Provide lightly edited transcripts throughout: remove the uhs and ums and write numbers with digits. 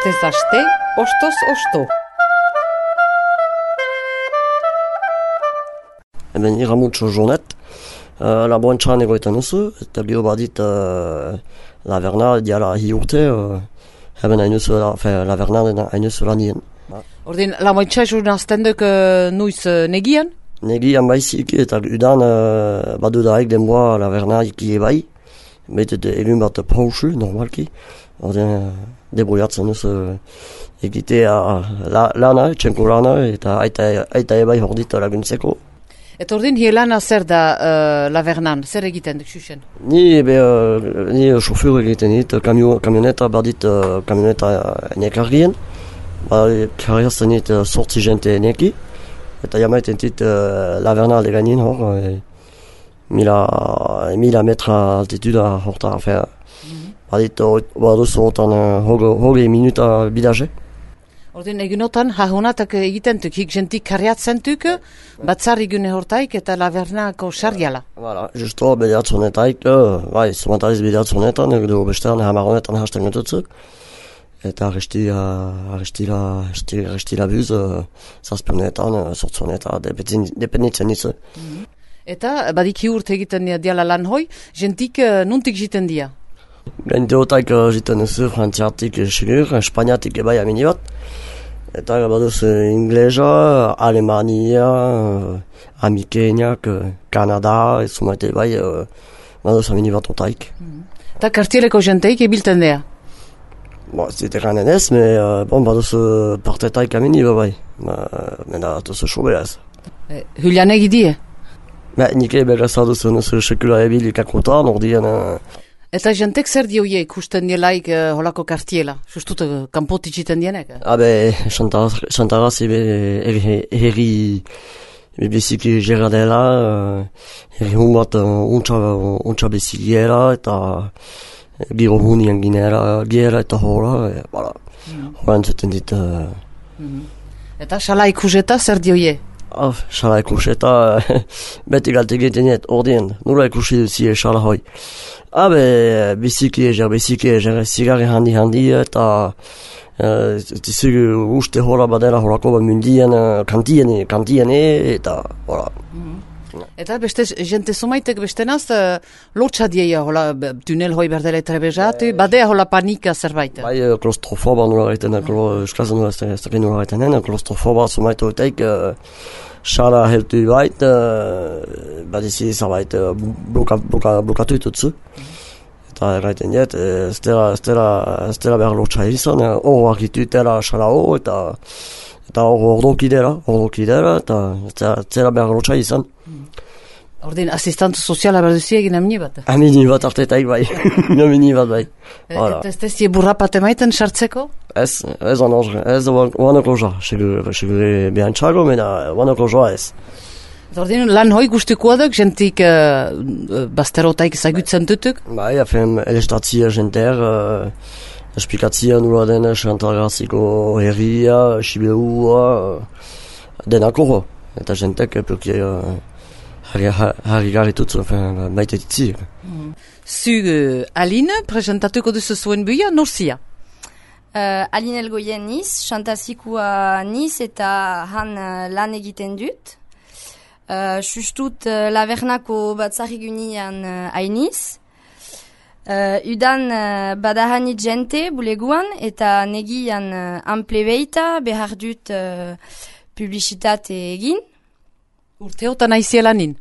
Astez aste, ostoz osto. Hemen iramutxo jonet, laboantxan egoetan duzu, eta gero badit laverna diala hi urte, hemen laverna hainuz lanien. Ordin, laboantxa joan duk nuiz negian? Negian baizik eta udan badudaik denboa laverna iki bai, betet egun bat pausu normalki, ordin debroiatzen duz egitea lana, txenko lana, eta aita ebai hordit laguntzeko. Eta ordin, hielana zer da lavernan, zer egiten duk xuxen? Ni sofeur egiten dit, kamioneta badit kamioneta nekargien, karriazten dit sortzi jente neki, eta jamaiten dit laverna alde gainin hor, 1000 metra altituda horta, badit baduz hortan hogei minuta bidaje. Ordin, egunotan, hahonatak egiten duk, hik jentik karriatzen duk, batzar egune hortaik eta lavernako sarriala. Voilà, justo bedeatzonetaik, bai, zomatariz bedeatzonetan, edo bestean hamaronetan hasten gututzu. Eta arrestila buz, zazpionetan, sortzonetan, dependitzen nizu. Eta badik urte egiten diala lan hoi, jentik nuntik jiten dia? Gainteotaik jiten duzu, frantziatik sigur, espainiatik ebai amini bat. Eta baduz inglesa, Alemania, Amikeniak, Kanada, zumaite bai, baduz amini bat otaik. Eta kartieleko jenteik ebilten dea? Ez dite ganen ez, baduz partetaik amini bai, mena atuz sobera ez. Julian egidie? Nik begazaduz sekula ebilikakotan, ordien... Eta jentek zer dioie ikusten dielaik holako kartiela? Justut, kanpotik jiten dienek? Xantarazi herri beziki gera dela, herri hunbat untxa bezikiera, eta giro hunien ginera eta hola, hola entzuten dit. Eta xala ikuseta zer dioie? Xala ikuseta, beti galte egiten diet, ordien, nula ikusi duzie xala hoi. Biziki eger, zigarri handi, eta uste hola badela holako mundien, kantiene, eta hola. Eta beste jente zumaitek bestenaz, lotxa dieia hola tunel hoi berdela trebezatu, badea hola panika zerbait? Bai, klostrofoba nula gaiten, eskazen nula ez dakit nula gaiten, klostrofoba zumaitu eteik, xala heltu bait, badizi zabait blokatu itutzu. Eta erraiten diet, ez dela behar lotxa izan, hor argitutela xala hor, eta hor ordokidera, eta ez dela behar lotxa izan. Ordin, asistantu soziala berduzi egin amini bat? Amini bat artetaik bai, amini bat bai. Eta ez tezie burrapat emaiten sartzeko? Ez oanoko joa, segure behantxago, mena oanoko joa ez. Ordin, lan hoi guztikoa duk, jentik basterotaik zagutzen dutuk? Bai, afen elestatzia jenter, espikatzia nula den Xantargaziko herria, Sibeua, denako ho. Eta jentek pluki harri garritutzu, baita ditzi. Zug Aline, presentatuko duzu zuen buia, norzia? Aline Elgoien niz, Xantazikua niz eta han lan egiten dut. Justut lavernako batzarrigunian hainiz. Udan badahanit jente buleguan eta negian amplebeita behar dut publizitate egin. Urteotan aizielanin?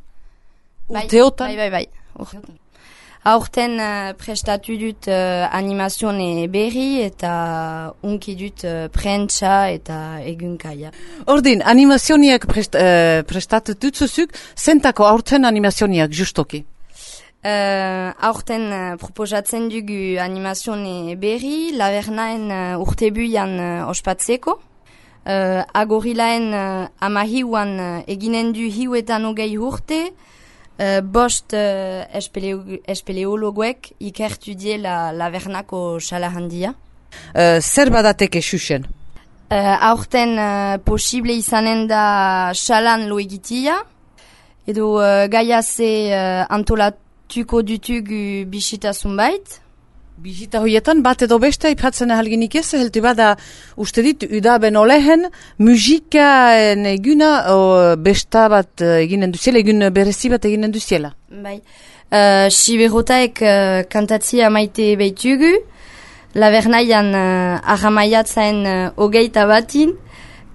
Urteotan? Bai. Aurten prestatu dut animazione berri eta unki dut prentsa eta egunkaia. Ordin, animazioniak prestatu dutzuzuk, zentako aurten animazioniak justoki? Aurten proposatzen dugu animazione berri, lavernaen urtebuian ospatzeko. Agorilaen amahiuan eginen du hiuetan hogei urte, bost espeleologoek ikertu die lavernako xala handia. Zer badateke xuxen? Aurten posible izanen da xalan lo egitia, edo gaiaze antolatuko dutugu bisita zunbait. Bizita hoietan bat edo beste aipatzen ahalginik ez, heltu bada uste dit, udaben olehen, musikaen eguna besta bat eginen duziela, egun berezi bat eginen duziela. Bai, Siberotaek kantatzia maite behitugu, Lavernaian ahamaiatzaen hogeita batin,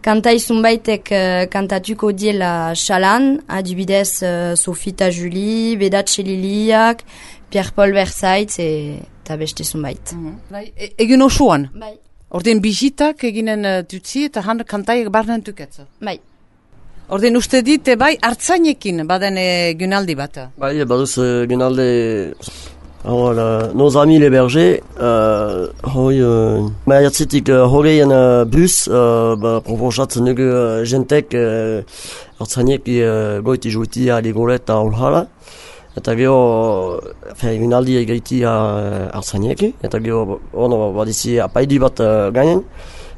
kantaizun baitek kantatuko diela xalan, adibidez Sofita Julie, Bedatxe Liliak, Pierre-Paul Versaitz eta beste zunbait. Bai, egin osoan? Bai. Ordin bizitak eginen dutzi eta han kantaiek barnen tuketza? Bai. Ordin uste dit, bai, hartzainekin baden gunaldi bat? Bai, baduz gunaldi... Alors, nos amis les bergers, maiatzetik hogeien bus, proposatzen dugu jentek hartzainek goiti juiti aligolet eta ulhala. Eta gero, egunaldi egaiti hartzainek, eta gero, badizi apaidi bat gainen,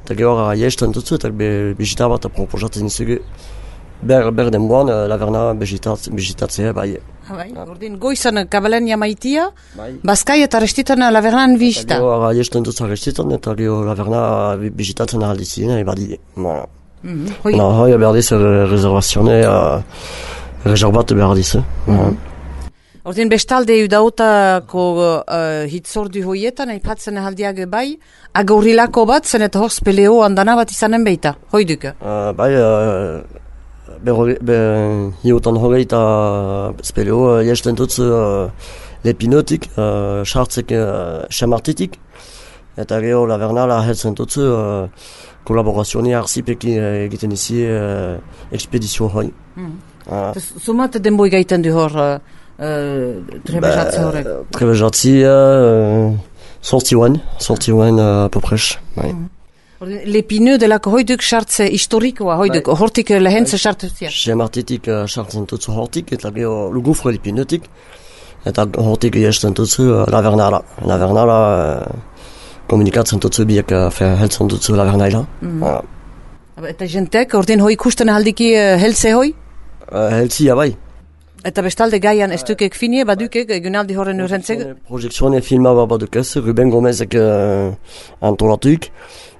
eta gero jesten dutzu, eta bizita bat proposatzen zugu. Ber denboan, Laverna bizitatzea, bai. Bai, ordin goizan kabalenia maitia, bazkai eta restitan Lavernan bizita. Eta gero, jesten dutzu restitan, eta gero Laverna bizitatzen ahaldizien, badi. Hoi berdiz rezervazione, rezervat berdiz. Ordin bestalde udautako hitzordu hoietan, aipatzen ahaldiak bai, agaurilako bat, zen eta hor speleo andana bat izanen beita, hoiduk? Bai, hiutan hogeita speleo jesten dutzu lepinotik, sartzek semartitik, eta gero Lavernala heltzen dutzu kolaborazioa arzipekin egiten izi ekspedizio hoi. Zumat denboi gaiten du hor trebejatzi horrek? Trebejatzi sortioen poprez, bai. Lepineu delako hoiduk sartze historikoa, hoiduk, hortik lehentze sartzea? Semartitik sartzen dutzu hortik, eta gero lugufre lepinotik, eta hortik jesten dutzu Lavernala. Lavernala komunikatzen dutzu biek heltzen dutzu Lavernaila. Eta jentek, ordin hoi ikusten ahaldiki heltze hoi? Heltzia bai. Eta bestalde gaian ez dukek finie, badukek egunaldi horren urrentzek? Projekzione filma badukez, Ruben Gomezek antolatuik.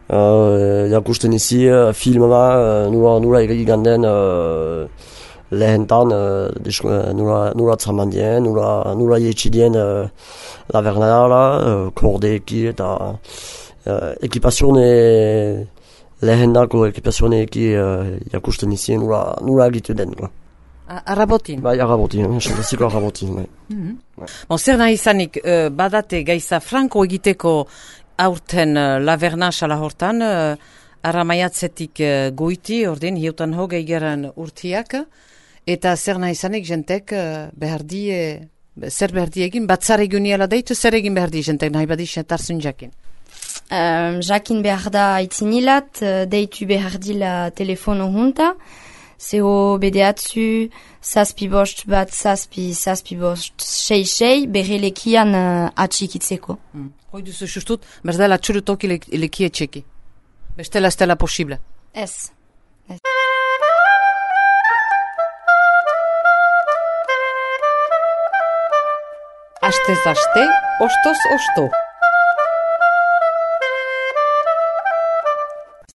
Jakusten izi filma nula egiganden lehentan nula tramandien, nula jetxidien Lavernala, kordeeki eta ekipazione lehendako ekipazione eki jakusten izi nula egitu den. Arrabotin? Bai, arrabotin, santaziko arrabotin. Zer nahi izanik, badate gaiza franko egiteko aurten Laverna xala hortan, arramaiatzetik goiti, ordin, hiutan hogei geran urtiak, eta zer nahi izanik jentek zer behardi egin, batzar eguniela deitu, zer egin behardi jentek nahi badi tarzun jakin? Jakin behar da aitzinilat, deitu behardila telefono junta, 0 bedeatzu, zazpi bost bat, zazpi bost, 6 berrelekian atxikitzeko. Hoi duzu justut, berdela txurutoki lekie txeki. Bestela estela posible. Ez. Astez aste, ostos osto.